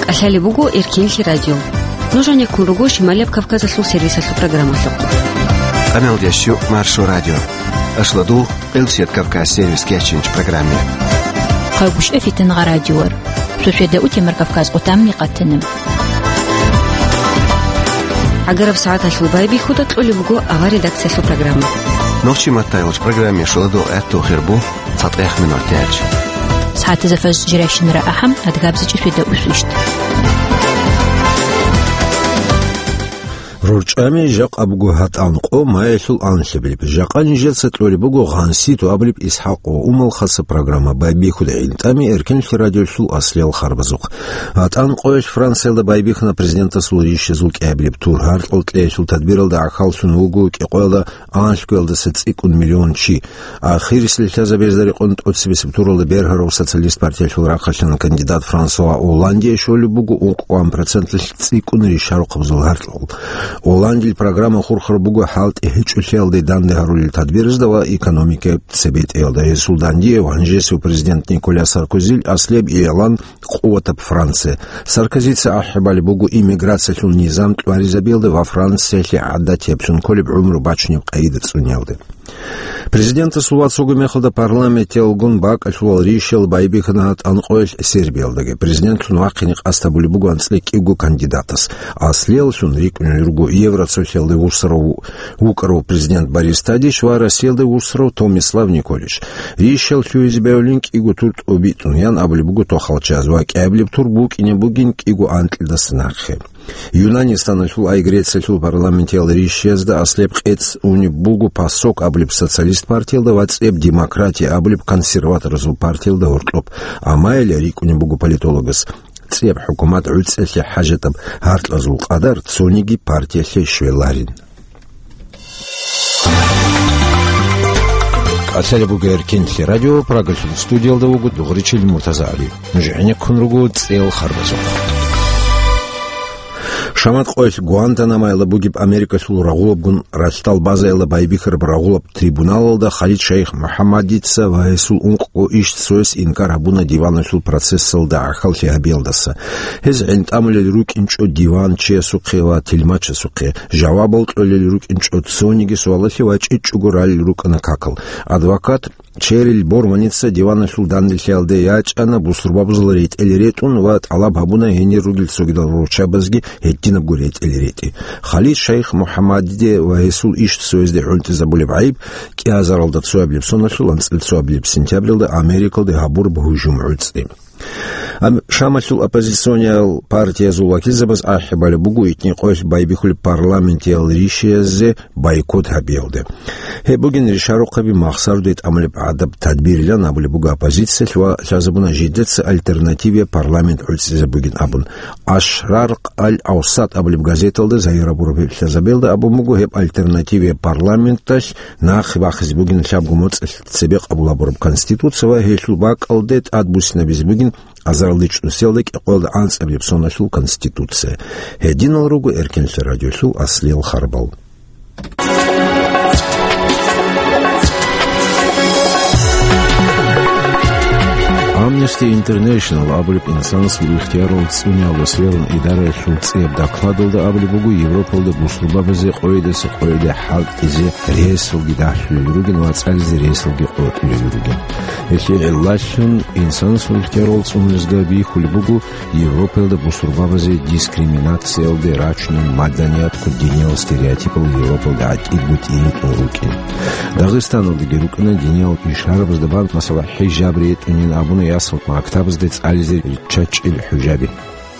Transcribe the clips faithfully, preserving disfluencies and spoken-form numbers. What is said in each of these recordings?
КӀалъалеб буго Эркенлъи радио. Нуж гьанеккун руго Шималияб Кавказалъул сервисалъул программалъухъ. Къамелдещу Маршо радио. Ашладул, Къилсият Кавказ сервис кечинч программе. Хъагушев Фитангъа радиор. Шошеда утемар Кавказ къутамни къатана. ГӀагараб сагӀаталъул байбихьуда кьолеб буго авар редакциялъул программа. Нохчи маттайилч программе шуладул гӀатту хирбу. ЦатӀех минутач. СагӀатазда фажр жирайщинара ахӀам, адгабзичӀи феда усвищ. РорчӀами жакъа буго гьатӀан къо маялъул анлъабилеб. Жакъа нижеца кьолеб буго гъанситу абулеб Исхакъ ва Умал хаса программа байбихьуда гӀинтӀами Эркенлъи радиолъул аслиял харбазухъ. ГьатӀан къоялъ Франциялда байбихьана президентасул рищазул кӀиабилеб тур. Гьаркьал кьеялъул тадбиралда гӀахьаллъун вуго кӀикъоялда анлъгоялдаса цӀикӀкӀун миллион чи. Ахирисел лъазабезда рекъон тӀоцебесеб туралда бергьарав Социалист партиялъул рахъалъан кандидат Франсуа Олландие щолеб буго ункъгӀан процентлъ цӀикӀкӀун ришарухъабазул гьаркьал. Олландил программа хурхараб буго хӀалтӀи гьечӀолъиялде данде гьарулел тадбирзда ва экономикаялъ цебетӀеялда. Гьесул дандие гьанжесев президент Николя Саркозил аслияб игӀлан Къуватаб Франция. Саркозица ахӀи балеб буго иммиграциялъул низам тӀваризабиялда ва Франциялъе гӀадатияб цун кколеб гӀумру бачунеб къагӀида цӀуниялда. Президентасул вацалгун мехалда парламентиялгун бакӀалъулал рищал байбихьана гьатӀан къоялъ Сербиялдаги. Президентлъун вахъине къасд гьабулеб буго анцӀила кӀиго кандидатас. Аслияллъун рикӀкӀунел руго Евроцолъиялда вуссарав вукӀарав президент Борис Тадич ва Россиялда вуссарав Томислав Николич. Рищал лъугьизе бегьулин кӀиго тур тӀобитӀун, ян абулеб буго тохалчаз, ва кӀиабилеб тур букӀине бугин кӀиго анкьидаса нахъе. Юнанистаналъул ай Грециялъул парламентиял рищиязда аслеб къец унеб буго ПАСОК абулеб социалист партиялда ва цӀеб Демократия абулеб консерваторазул партиялда гьоркьоб. Амайилла рикӀкӀунеб буго политологас цӀеб хӀукумат гӀуцӀелъи хӀажатаб гьаркьазул къадар цониги партиялъе щвеларин. КӀалъалеб буго Эркенлъи радио, Прагалъул студиялда вуго Дугъричил МуртазагӀали. Нуж гӀенеккун руго цӀел харбазухъ. Шамат къоялъ Гуантанамоялда бугеб Америкалъул рагъулабгун ралъдал базаялда байбихьараб рагъулаб трибуналалда Халид Шайх МухӀаммадица ва гьесул ункъго ишцояс инкар гьабуна диваналъул процессалда гӀахьаллъи гьабиялдаса. Гьез гӀинтӀамулел рукӀинчӀо диван чиясухъе ва тилмачасухъе, жавабал кьолел рукӀинчӀо цониги суалалъе ва чӀечӀого ралел рукӀана какал. Адвокат Черил Борманица диваналъул данделъиялде ячӀана бусурбабазул ретӀел ретӀун ва тӀалаб гьабуна гьенир ругел цогидал руччабазги гьединабго ретӀел ретӀи. Халид Шайх МухӀаммадиде ва гьесул ишцоязде гӀунтӀизабулеб гӀайиб кӀиазаралда цоабилеб соналъул анцӀила цоабилеб сентябралда Америкалде гьабураб гьужум гӀуцӀи. Ам-, Шамалъул оппозициониял партиязул вакилзабаз ахӀи балеб буго итни къоялъ байбихьулеб парламентиял ришияззе бойкот гьабиялде. Гьеб бугин ришарухъаби махсарде тӀамулеб гӀадаб тадбирилан абулеб буго оппозициялъ ва лъазабуна жидеца альтернативия парламент гӀуцӀизабугин абун. Ашраркъ аль-Авсат абулеб газеталда загьир гьабураб гьеб лъазабиялда абун буго гьеб альтернативия парламенталъ нахъе бахъизе бугин лъабго моцӀалъ цебе къабул гьабураб Конституция ва гьелъул бакӀалде тӀадбуссинабизе бугин азаралда чӀусиялда кӀикъоялда анцӀабилеб соналъул Конституция. Гьединал руго Эркенлъи радиолъул аслиял харбал. Amnesty International абулеб инсанасул ихтиярал цӀуниялда сверун идараялъул цӀияб докладалда абулеб буго, Европалда бусурбабазе къойидаса къойиде хӀалтӀизе ресалги дагьлъулел ругин ва цӀализе ресалги къотӀулел ругин. Гьелъие гӀиллалъун инсанасул ихтиярал цӀуниялда бихьулеб буго Европаялда бусурбабазе дискриминациялде рачунел маданиятго диниял стереотипал Европалда гӀатӀидго тӀибитӀун рукӀин. Дагъистаналдаги рукӀана диниял ишарабазда бан, масала, хӀижаб ретӀунин абуна ясал мактабазде цӀализе риччачӀел хӀужаби.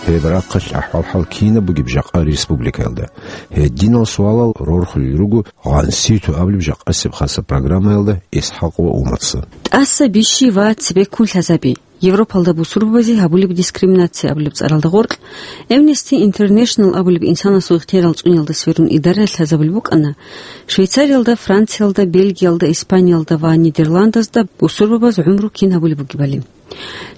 Гьеб рахъалъ ахӀвал-хӀал кинаб бугеб жакъа республикаялда? Гьединал суалал рорхулел руго гъанситу абулеб жакъасеб хаса программаялда Исхакъ ва Умарса. ТӀаса бищи ва цебеккун лъазаби. Европалда бусурбабазе гьабулеб дискриминация абулеб цӀаралда гъоркь, Amnesty International абулеб инсанасул ихтиярал цӀуниялда сверун идараялъ лъазабулеб букӀана, Швейцариялда, Франциялда, Бельгиялда, Испаниялда ва Нидерландазда бусурбабаз гӀумру кин гьабулеб бугебали.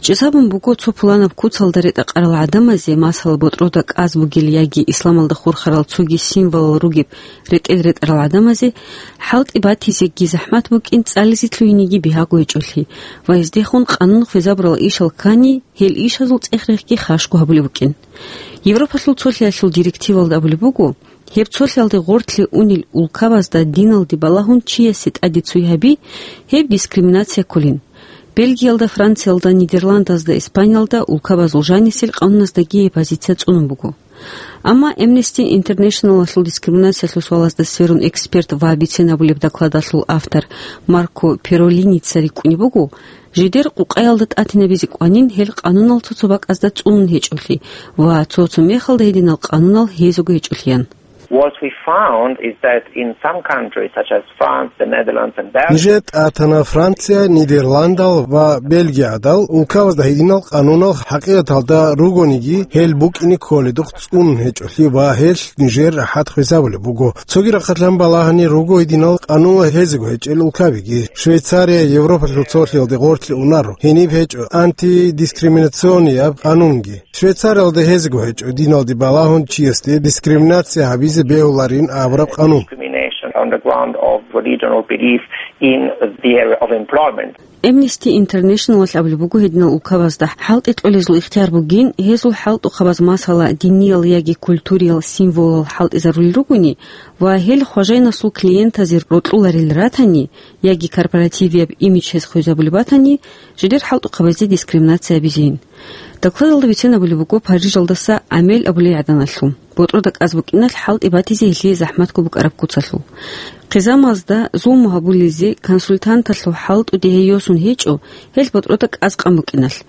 ЧӀезабун буго цо пуланаб куцалда ретӀа-къарал гӀадамазе, масала, ботӀрода кӀаз бугел яги исламалда хурхарал цоги символал ругеб ретӀел ретӀарал гӀадамазе, хӀалтӀи батизеги захӀмат букӀин, цӀализе лъугьинеги бигьаго гьечӀолъи ва гьездехун къанун хвезабурал ишал ккани, гьел ишазул цӀех-рехги хашго гьабулеб букӀин. Европалъул цолъиялъул директивалда абулеб буго, гьеб цолъиялде гъорлъе унел улкабазда диналде балагьун чиясе тӀаде цуй гьаби, гьеб дискриминация кколин. Бельгиялда, Франциялда, Нидерландазда, Испаниялда улкабазул жанисел къануназдаги гьеб позиция цӀунун буго. Амма Amnesty International-алъул дискриминациялъул суалазда сверун эксперт ва бицен абулеб докладалъул автор Марко Перолиница рикӀкӀунеб буго, жидер къукъаялда тӀатинабизе кӀванин гьел къанунал цо-цо бакӀазда цӀунун гьечӀолъи ва цо-цо мехалда гьединал къанунал гьезего гьечӀолъиян. What we found is that in some countries, such as France, the Netherlands and Belgium, нижер тӀатана Франция, Нидерландал ва Бельгиядал улкабазда гьединал къанунал хӀакъикъаталда ругониги, гьел букӀине кколедухъ цӀунун гьечӀолъи ва гьелъ нижер рахӀат хвезабулеб буго. Цоги рахъалъан балагьани руго гьединал къанунал гьезего гьечӀел улкабиги. Швейцария Европалъул цолъиялде гъорлъе унаро. Гьениб гьечӀо антидискриминационияб къанунги. Швейцариялда гьезего гьечӀо диналде балагьун чиясде дискриминация гьабизе бегьуларин абураб къанун. Discrimination on the ground of religion or belief in the area of employment. Amnesty International-алъ абулеб буго, гьединал улкабазда хӀалтӀи кьолезул ихтияр бугин, гьезул хӀалтӀухъабаз, масала, диниял яги культуриял символал хӀалтӀизарулел ругони ва гьел хважайнасул клиентазе рокьуларел ратани яги корпоративияб имидж гьез хвезабулеб батани, жидер хӀалтӀухъабазде дискриминация гьабизейин. Докладалда бицен абулеб буго Парижалдаса Амель абулей гӀаданалъул. БотӀрода кӀаз букӀиналъ хӀалтӀи батизе гьелъие захӀматго букӀараб куцалъул. Хъизамазда зулму гьабулезе консультанталъул хӀалтӀуде гьей йосун гьечӀо, гьел ботӀрода кӀаз къан букӀиналъ.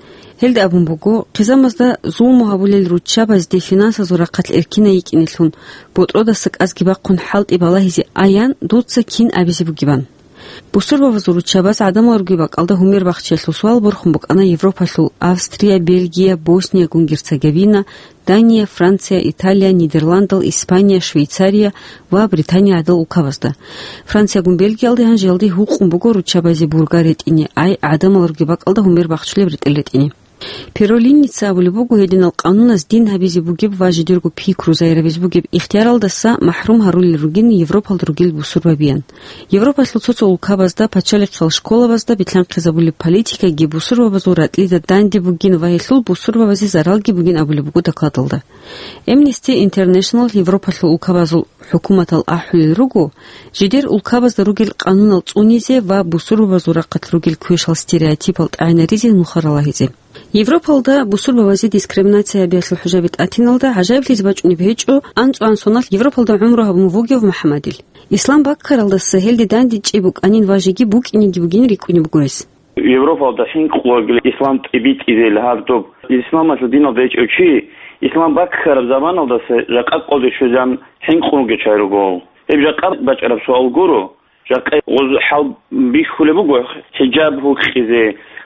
Гьелда абун буго, хъизамазда зулму гьабулел руччабазде финансазул рахъалъ эркинай йикӀинелъун, ботӀродаса кӀазги бахъун хӀалтӀи балагьизе аян, дуца кин абизе бугебан. Бусурбабазул руччабаз гӀадамал ругеб бакӀалда гьумер бахчиялъул суал борхун букӀана Европалъул Австрия, Бельгия, Босния-Герцеговина, Дания, Франция, Италия, Нидерландал, Испания, Швейцария ва Британия гӀадал улкабазда. Франциягун Бельгиялде гьанжеялде гьукъун буго руччабазе бургар ретӀине, ай гӀадамал ругеб бакӀалда гьумер бахчулеб ретӀел ретӀине. Перолиница абулеб буго, гьединал къануназ дин гьабизе бугеб ва жидерго пикру зайрабизе бугеб ихтияралдаса махӀрум гьарулел ругин Европалда ругел бусурбабиян. Европалъул цо-цо улкабазда, пачалихъал школабазда битлъанхъизабулеб политикаги бусурбабазул ракьлида данде бугин ва гьелъул бусурбабазе заралги бугин абулеб буго докладалда. Amnesty International Европалъул улкабазул хӀукуматал ахӀулел руго, жидер улкабазда ругел къанунал цӀунизе ва бусурбабазул рахъалъ ругел квешал стереотипал тӀагӀинаризе нухал ралагьизе. Европалда бусурбабазе дискриминация гьабиялъул хӀужаби тӀатиналда гӀажаиблъизе бачӀунеб гьечӀо анцӀу-анцӀуналъ Европалда гӀумру гьабун вугев МухӀаммадил. Ислам баккаралдаса гьелде дандечӀей букӀанин ва жеги букӀинеги бугин рикӀкӀунеб буго гьес. Европалда хӀинкъулаги ислам тӀибитӀизел гьаб доб. Исламалъул диналда гьечӀев чи, ислам баккараб заманалдаса жакъа къоде щвезан хӀинкъун вугев чай руго. Гьеб жакъа бачӀараб суал гуро. Жакъа гъоз хӀал бихьулеб буго хӀиджаб гьукъизе.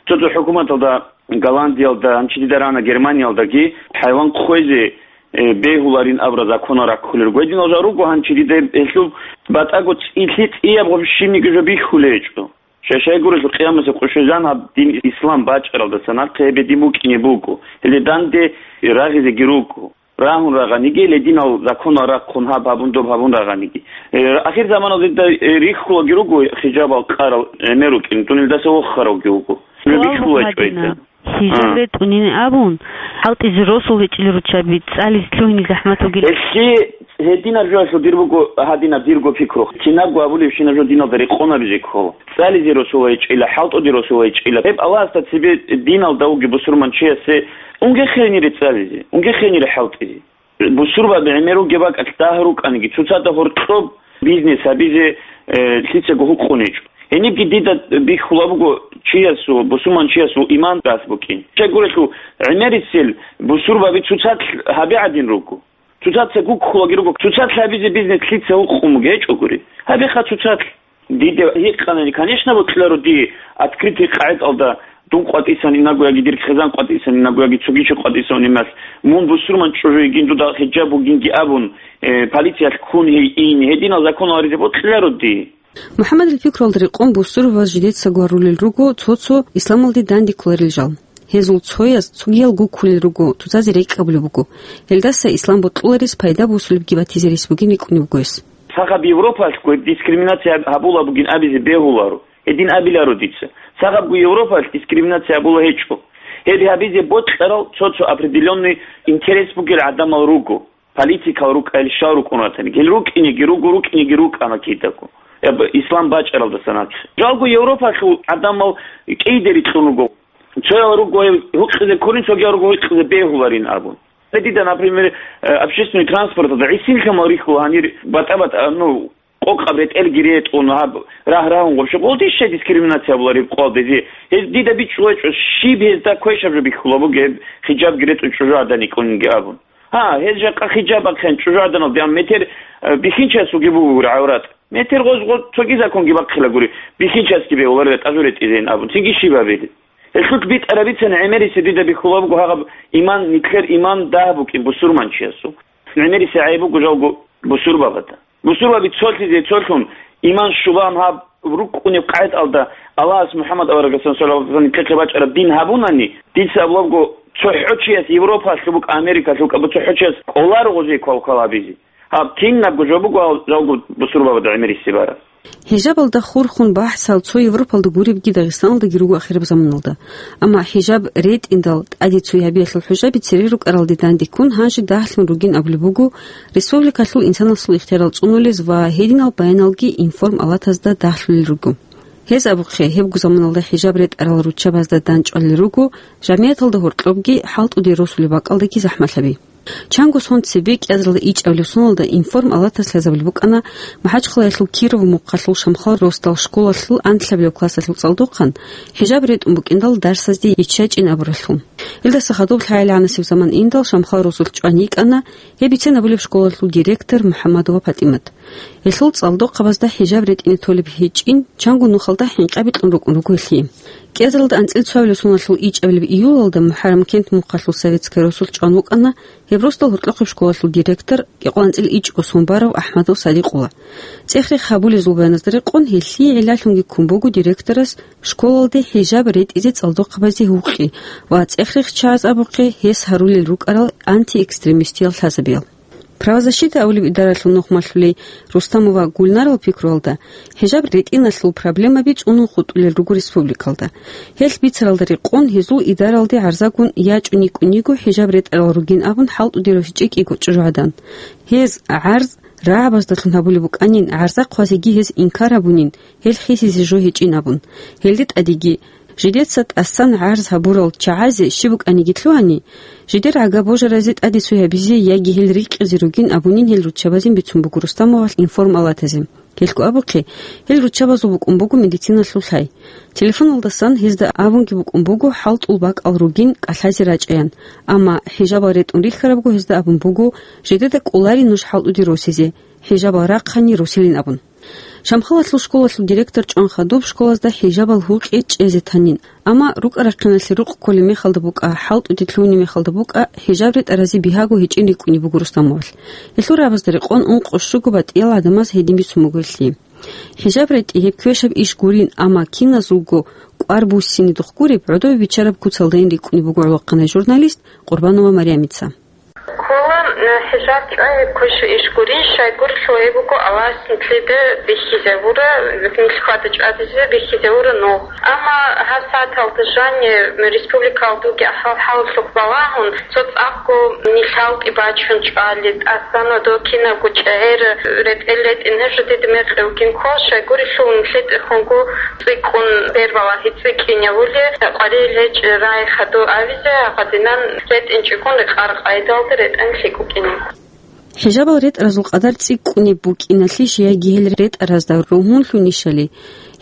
Цо-цо хӀукуматалда, Голландиялда, гьанчи дида рана Германиялдаги, хӀайван хъвезе, э, бегьуларин абураб законал раккулел руго. Гьединал жал руго гьанчи дида гьелъул батӀаго цӀилъи цӀияб гъоб щибниги жо бихьулей гьечӀо. Шай-шай гурелъул къиямасеб къо щвезан гьаб дин ислам бачӀаралдаса нахъе гьеб гьедин букӀине буго. Гьеле данде рагъизеги руго. Рагьун рагъаниги, гьединал законал рахъун гьаб гьабун, доб гьабун рагъаниги. Э, ахир заманалда, э, рихьулаги руго хижабал къарал гӀемер рукӀин, тунелдаса воххаравги вуго. Суал бихьулай буго, чӀвайда. Гьадинаб, хижаб А. ретӀунин абун, хӀалтӀизе росул гьечӀел руччаби цӀализе лъугьине захӀмат вугилан. Гьелъи гьединаб жоялъул дир буго гьадинаб дирго пикру. Кинабго абулебщинаб жо диналда рекъон гьабизе ккола. ЦӀализе росул гьечӀила, хӀалтӀуде росул гьечӀила. Гьеб Аллагьасда цебе диналда вугев бусурманчиясе унге хейнире цӀализе, унге хейнире хӀалтӀизе. Бусурбаби гӀемер ругеб бакӀалъ дагь рукӀаниги, цоцазда гьоркьоб бизнес гьабизе, э, лъицаго гьукъун гьечӀо. Гьенибги дида бихьула буго чиясул, бусурманчиясул иман рас букӀин. Щайгурелъул гӀемерисел бусурбаби цоцалъ гьабе гӀадин руго. Цоцаца гуккулаги руго. Цоцалъ гьабизе бизнес лъица гьукъун буго гьечӀогури. Гьабеха цоцалъ. Диде гьикъанани, конечно, бокьуларо дие, открытый къагӀидалда дун къватӀисан инаго яги дир хъизан къватӀисан инаго яги цоги чи къватӀисан унимас, мун бусурман чӀужу йигин, дуда хиджаб бугинги абун, э, полициялъ ккун гьей ин, гьединал законал гьаризе бокьуларо дие. МухӀаммадил пикруялда рекъон бусурбабаз жидецаго гьарулел руго цо-цо исламалде дандеккуларел жал. Гьезул цояз цогиял гуккулел руго, цоцазе рекӀкӀабулеб буго. Гьелдаса ислам бокьуларес пайда босулебги батизе рес бугин рикӀкӀунеб буго гьес. Сахаб Европалъго дискриминация гьабула бугин абизе бегьуларо. Гьедин абиларо дица. Цахабго Европалъ дискриминация гьабула гьечӀо. Гьеб гьабизе бокьарал цо-цо определённый интерес бугел гӀадамал руго, политикал рукӀайил щал рукӀун ратани. Гьел рукӀинеги руго, рукӀинеги рукӀана кидаго. Гьеб ислам бачӀаралдаса нахъе. Жалго Европалъул гӀадамал кӀийде рикьун руго. Цоял руго гьукъизе кколин, цогиял руго гьукъизе бегьуларин абун. Дида, например, э, общественный транспорталда гӀисин лъамал рихьула гьанир батӀа-батӀа, ну, къокъаб ретӀелги ретӀун, гьаб рагь-рагьун гъуб щокъулти щай дискриминация гьабулареб къвалдезе. Гьез дида бичӀчӀулачӀо, щиб гьезда квешаб жо бихьула бугеб, хиджабги ретӀун чӀужугӀадан йикӀунинги абун. Гьа, гьез жакъа хиджаб ахъен чӀужугӀаданалде, амма метер, э, бихьинчиясулги бугури гӀаврат. Метер гъоз-гъоз цоги законги бахъила гури, бихьинчиясги бегьуларила тӀажу ретӀизейин абун. Цинги щиб гьабили? Гьелъул битӀарабицани гӀемерисе дида бихьула буго гьагъаб иман, нилъер иман дагь букӀин бусурманчиясул. ГӀемерисе гӀайиб буго жалго бусурбабазда. Бусурбаби цолъизе цолъун, иман щулан гьаб рукӀунеб къагӀидалда Аллагьас МухӀаммад аварагасан саллаллагьу гӀалайгьи ва саллам нилъехъе бачӀараб дин гьабунани, дица абулабго цохӀо чияс Европалъуб буго, Америкалъуб буго, абу цохӀо чияс кӀоларо гъозие квалквал гьабизе. Гьаб кинабго жо буго гьал жалго бусурбабада гӀемерисе бараб. ХӀижабалда хурхун бахӀсал цо Европалда гуребги Дагъистаналдаги руго ахираб заманалда. Амма хӀижаб ретӀиндал тӀаде цоябиялъул хӀужаби цере рукӀаралде дандеккун гьанже дагьлъун ругин абулеб буго, республикалъул инсанасул ихтиярал цӀунулез ва гьединал баяналги информалатазда дагьлъулел руго. Гьез абухъе, гьебго заманалда хӀижаб ретӀарал руччабазда дандчӀвалел руго жамигӀаталда гьоркьобги, хӀалтӀуде росулеб бакӀалдаги захӀмалъаби. Чанго сон цебе кӀиазаралда ичӀабилеб соналда информалатас лъазабулеб букӀана МахӀачхъалаялъул Киров мухъалъул Шамхал росдал школалъул анлъабилеб классалъул цӀалдохъан хӀижаб ретӀун букӀиндал дарсазде йиччачӀин абуралъул. Илдаса хадуб лъагӀел гӀанасеб заман индал Шамхал росулъ чӀван йикӀана гьеб бицен абулеб школалъул директор МухӀаммадова ПатӀимат. Гьелъул цӀалдохъабазда хӀижаб ретӀине толеб гьечӀин, чанго нухалда хӀинкъаби кьун рукӀун руго гьелъие. КӀиазаралда анцӀил цоабилеб соналъул ичӀабилеб июлалда МухӀаррамкент мухъалъул советская росулъ чӀван вукӀана гьеб росдал гьоркьохъеб школалъул директор, кӀикъоялда анцӀил ичӀго сон барав АхӀмадов Садикъула. ЦӀех-рех гьабулезул баяназда рекъон, гьелъие гӀиллалъунги ккун буго директорас школалде хӀижаб ретӀизе цӀалдохъабазде гьукъи ва цӀех-рехчагӀаз абухъе гьес гьарулел рукӀарал антиэкстремистиял лъазабиял. Правозащита абулеб идаралъул нухмалъулей Рустамова Гульнарал пикруялда, хӀижаб ретӀиналъул проблемаби цӀунун хутӀулел руго республикалда. Гьелъ бицаралда рекъон, гьезул идаралде гӀарзагун ячӀун йикӀун йиго хӀижаб ретӀарал ругин абун хӀалтӀуде росичӀей кӀиго чӀужугӀадан. Гьез гӀарз рагӀабаздалъун гьабулеб букӀанин, гӀарза хъвазеги гьез инкар гьабунин, гьел хисизе жо гьечӀин абун. Гьелде тӀадеги, жидеца тӀасан гӀарз гьабурал чагӀазе щиб букӀаниги лъугьани, жидер гӀага божаразе тӀаде цоябизе яги гьел рикъизе ругин абунин гьел руччабазин бицун буго Рустамовалъ информалатазе. Гьелъго абухъе, гьел руччабазул букӀун буго медициналъул лъай. Телефоналдасан гьезда абунги букӀун буго хӀалтӀул бакӀал ругин кӀалъазе рачӀаян, амма хӀижабал ретӀун рихьарабго гьезда абун буго, жидеда кӀолари нуж хӀалтӀуде росизе, хӀижабал рахъани росилин абун. Шамхалалъул школалъул директор чӀван хадуб школазда хӀижабал гьукъи чӀезе танин, амма рукӀа-рахъиналъе рукъ кколеб мехалда букӀа, хӀалтӀуде лъугьунеб мехалда букӀа, хӀижаб ретӀаразе бигьаго гьечӀин рикӀкӀунеб буго Рустамовалъ. Гьелъул рагӀабазда рекъон ункъо-щуго батӀиял гӀадамаз гьедин бицун буго гьелъие. ХӀижаб ретӀи гьеб квешаб иш гурин, амма киназулго кӀвар буссинидухъ гуреб, гӀодобе биччараб куцалдайин рикӀкӀунеб буго гӀолохъанай журналист Къурбанова Марямица. Ккола, э, хӀижаб чӀвай гьеб квешаб иш гурин, щайгурелъул гьеб буго Аллагьас нилъеда бихьизавура, нилъ хьвада-чӀвадизе бихьизавура нугъ. Амма гьаб сагӀаталда жаниб республикалда бугеб ахӀвал-хӀалалъухъ балагьун, цо цӀакъго нилъ хӀалтӀи бачун чӀвали, тӀасан дов кинабго чӀегӀер ретӀел ретӀин гьеб жо дида мекъи вугин ккола, щайгурелъул нилъеда хунго цӀикӀкӀун бер балагьи цӀикӀкӀинавули, къваригӀел гьечӀеб рагӀи хадув авизе гьадинан ретӀинчӀогун рекъараб къайдалда ретӀан лъикӀ букӀинин. ХӀижабал ретӀаразул къадар цӀикӀкӀунеб букӀиналъищ яги гьел ретӀаразда ругьунлъунищали,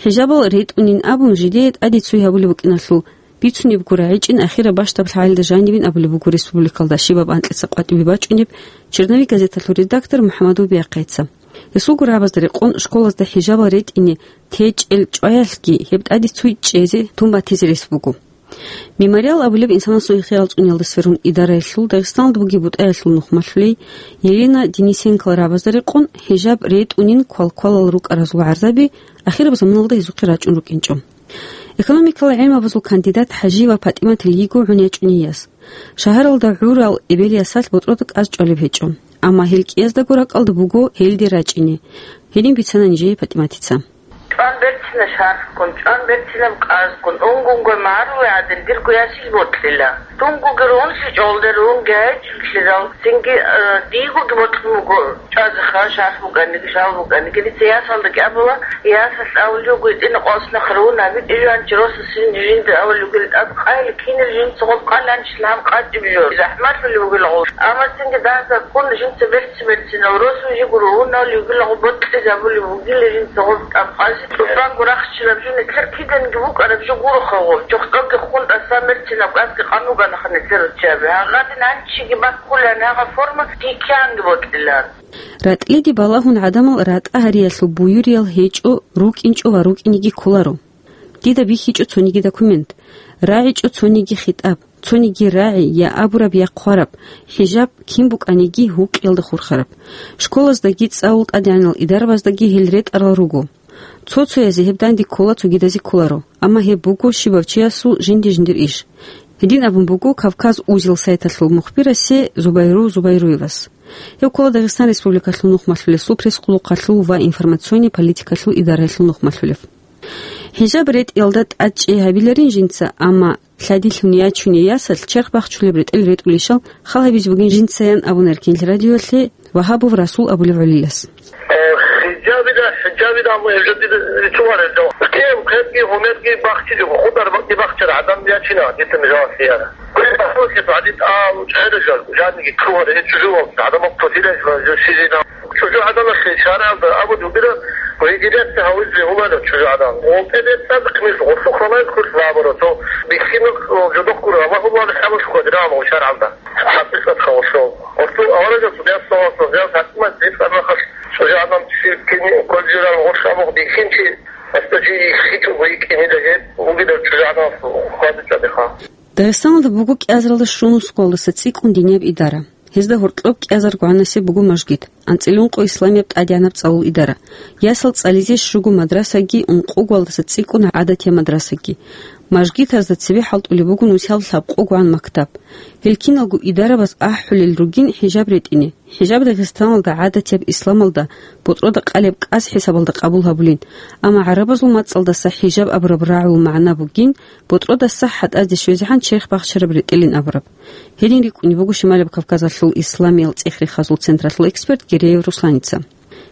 хӀижабал ретӀунин абун жидее тӀаде цой гьабулеб букӀиналъул бицунебго рагӀичӀин ахираб бащдаб лъагӀалда жанибин абулеб буго республикалда щибаб анкьица къватӀибе бачӀунеб «Черновик» газеталъул редактор МухӀаммадов Биахъайца. Гьесулго рагӀабазда рекъон школазда хӀижабал ретӀине течӀел чӀваялъги гьеб тӀаде цой чӀезе тун батизе рес буго. «Мемориал» абулеб инсанасул ихтияр цӀуниялда сверун идараялъул Дагъистаналда бугеб бутӀаялъул нухмалъулей Елена Денисенкол рагӀабазда рекъон, хӀижаб ретӀунин квалквалал рукӀаразул гӀарзаби ахираб заманалда гьезухъе рачӀун рукӀинчӀо. Экономикалал гӀилмабазул кандидат ХӀажиева ПатӀиматил йиго гӀун ячӀуней яс. Шагьаралда гӀурал эбел-ясалъ ботӀрода кӀаз чӀвалеб гьечӀо. Амма гьел кӀияздаго ракӀалда буго гьелде рачӀине. Гьедин бицана нижее ПатӀиматица. ЧӀван берцина шарфккун, чӀван берцинаб кӀазккун, унгунго магӀарулай гӀадин, дирго ясил бокьила. Дунгоги рунлъичӀолда рунги гьечӀолъидал, цинги, э, дигоги бокьун буго чӀвазеха, шарф букӀаниги, шал букӀаниги. Дица ясалдаги абула, ясалъ авулев гьитӀина къосна хъарун гьабитӀи жан чи росасин жинда авулев гил тӀад къайли кинел жинца гъоб къаланчил гьаб къачӀиб жо. ЗахӀмалъулев вугила гъов. Амма цинги дагьзаб ккун жинца берци-берцинал росу жигуру унал югила гъоб бокьизабулев вугила жинца гъоб тӀаб къази. ЦӀусанго рахчилаб жо нилъер киданги вукӀараб жо гуроха гъоб. ЧохтӀоги хун тӀасан берцинаб кӀасги къан вугана ха нилъер руччаби. Гьагъадин гьанчиги баккулан гьагъа форма дикканги бокьилан. РатӀлиде балагьун гӀадамал ратӀа гьариялъул буюриял гьечӀо, рукӀинчӀо ва рукӀинеги кколаро. Дида бихьичӀо цониги документ, рагӀичӀо цониги хитӀаб, цониги рагӀи, я абураб, я хъвараб, хӀижаб кин букӀаниги гьукъиялда хурхараб. Школаздаги цӀалул тӀадегӀанал идарабаздаги гьел ретӀарал руго. Цо-цоязе гьеб данде ккола, цогидазе кколаро, амма гьеб буго щибав чиясул жинди-жиндир иш. Гьедин абун буго Кавказ Узел сайталъул мухбирасе Зубайру Зубайруевас. Гьев ккола Дагъистан Республикалъул нухмалъулесул пресс-къулухъалъул ва информационный политикалъул идараялъул нухмалъулев. ХӀижаб ретӀиялда тӀадчӀей гьабиларин жинца, амма лъадилъун ячуней ясалъ черх бахчулеб ретӀел ретӀулищал хал гьабизе бугин жинцаян абуна Эркенлъи радиоялъе Вагьабов Расул абулев гӀолилас. Э, хӀижабида, хӀижабида, амма гьеб жо дида рицунарел жо. Кев, кевги, гьумерги бахчизе, худар бакӀги бахчара, гӀадан ячина, дица мижавас яра. Квен бахчизе, гьадин, а, чӀегӀеда жо, жаниги ккугьар, гьечӀо жо, гӀадамал кватира жо, жо сизина. ЧӀужугӀаданалъе шаргӀалда абулеб бугила, региляция гьавизе гьуларо чӀужугӀадан. ГъолтӀе бецӀаб хъмил гъусухъ балай хъулъ бабуро, цо бихьинаб жодохъ гуро, амма гьулал хӀамулъ хъвадирал гъо шаргӀалда. ХӀакъикъат халасо. Гъусу аварагасул ясаласо, яс хӀакъимат бецӀаб махалъ чӀужугӀадан силккине кколжирал гъош абухъ бихьинчи, гьасда жий иххичӀого йикӀинида гьеб бугидал чӀужугӀаданалъул хъвадичӀадиха. Дагъистаналда буго кӀиазаралда щунусго гьалдаса цӀикӀкӀун динияб идара. Гьезда гьоркьоб кӀиазарго гӀанасеб буго мажгит, анцӀила ункъо исламияб тӀадегӀанаб цӀалул идара. Ясал цӀализе щуго мадрасаги, ункъого гьалдаса цӀикӀкӀун гӀадатияб мадрасаги. Мажгитазда цебе хӀалтӀулеб буго нусияб лъабкъого гӀан мактаб. Гьел киналго идарабаз ахӀулел ругин хӀижаб ретӀине. ХӀижаб Дагъистаналда гӀадатияб исламалда ботӀрода къалеб кӀас хӀисабалда къабул гьабулин, амма гӀарабазул мацӀалдаса хӀижаб абураб рагӀул магӀна бугин, ботӀродаса хӀатӀазде щвезегӀан черх бахчараб ретӀелин абураб. Гьедин рикӀкӀунеб буго Шималаб Кавказалъул исламиял цӀех-рехазул централъул эксперт Гереев Русланица.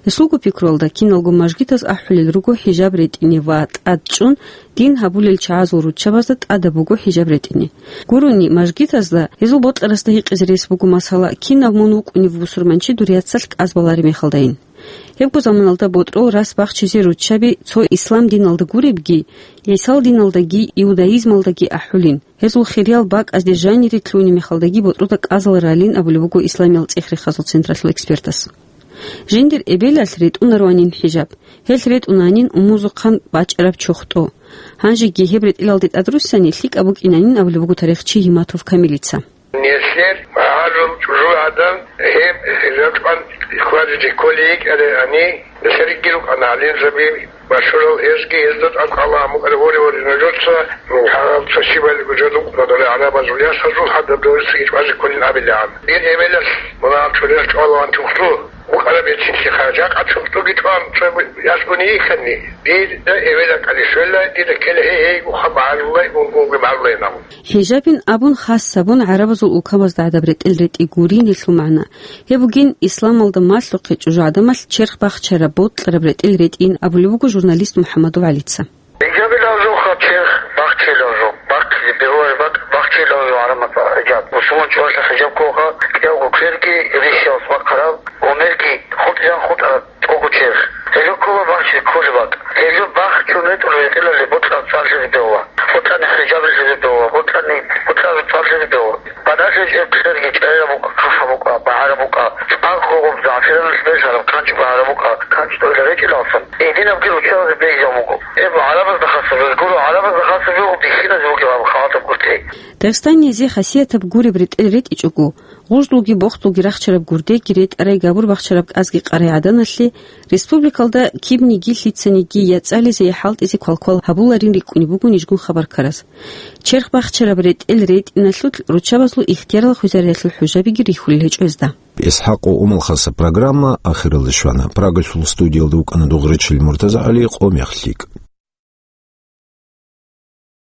Гьесулго пикруялда, киналго мажгитаз ахӀулел руго хӀижаб ретӀине ва тӀадчӀун дин гьабулел чагӀазул руччабазда тӀадаб буго хӀижаб ретӀине. Гурони, мажгитазда гьезул бокьарасда гьикъизе рес буго масала, кинав мун вукӀунев бусурманчи дур яцалъ кӀаз балареб мехалдайин. Гьебго заманалда ботӀрол рас бахчизе руччаби цо ислам диналда гуребги, гӀисал диналдаги, иудаизмалдаги ахӀулин. Гьезул хириял бакӀазде жанире лъугьунеб мехалдаги ботӀрода кӀазал ралин абулеб буго исламиял цӀех-рехазул централъул экспертас. Жиндир эбелалъ ретӀунароанин хӀижаб. Гьелъ ретӀунанин умузухъан бачӀараб чохтӀо. Гьанжеги гьеб ретӀелалде тӀадруссани лъикӀаб букӀинанин абулеб буго тарихчи Гьиматов Камилица. Нилъер магӀарул чӀужугӀадан гьеб ракьан хьвадизе кколей йикӀарай гьани, нилъерги рукӀана гӀалимзаби, машгьурал гьезги, гьезда тӀадкъала гьамукъари гьори-гьори нужеца, гьаб цо щибалиго жо рукъана доре гӀарабазул ясазул гьадаб дорисаги чӀвазе кколин абилегӀан. Дир эбелалъ мунагьал чурилъ чӀвалаван тухлъу букӀараб гьечинлъиха, жакъа тухлъуги чӀван цо ясгуни йихьани, дир эбела кӀалищвелла, дида ккела гьей-гьейгуха магӀарулай, унгунги магӀарулай нагъун. ХӀижабин абун хас гьабун гӀарабазул улкабазда гӀадаб ретӀел ретӀи гурин гьелъул магӀна. Гьеб бугин исламалда малъухъе чӀужугӀаданалъ черх бахчараб, бокьараб ретӀел ретӀин абулеб буго журналист МухӀаммадов ГӀалица. ХӀижабилан жуха черх бахчилан жо, бахъизе бегьулареб бакӀ бахчилан жо гӀарамат хӀижаб. Мусулман чӀвалъа хӀижаб кколха, кӀиявго кверги рихьиялъ бахъараб, гьумерги хутӀизан хутӀараб. ТӀогучеб. Гьелъул ккола бахчи кколеб бакӀ. Гьелъул бахчун ретӀул ретӀелалде бокьан цӀарлъизе бегьула. Бокьани хӀижаб лъезе бегьула. Бокьани бокьан цӀарлъизе бегьула. Бадалъи гьечӀеб кьерги чӀегӀераб букӀа, хъахӀаб букӀа, багӀараб букӀа. ЦӀакъго гъоб загӀфиранлъ бежараб канчӀ багӀараб букӀа, канчӀ тӀолъа речӀелалсан. Гьединабги руччабазе бегьизаб буго. Гьеб гӀарабазда хасаб, гуро гӀарабазда хасаб жо бихьиназе бугеб гьаб халатаб гуртӀи. Дагъистанизе хасиятаб гуреб ретӀел ретӀичӀого, гъужлуги бохтулги рахчараб гурдеги ретӀарай габур бахчараб кӀазги къарай гӀаданалъе республикалда кибниги лъицаниги я цӀализе, я хӀалтӀизе квалквал гьабуларин рикӀкӀунеб буго нижгун хабар ккараз. Черх бахчараб ретӀел ретӀиналъулъ руччабазул ихтиярал хвезариялъул хӀужабиги рихьулел гьечӀо гьезда. ИсхӀакъ ва Умал хасаб программа ахиралде щвана. Прагалъул студиялда вукӀана дугӀричил МуртазагӀали, къо мех лъикӀ.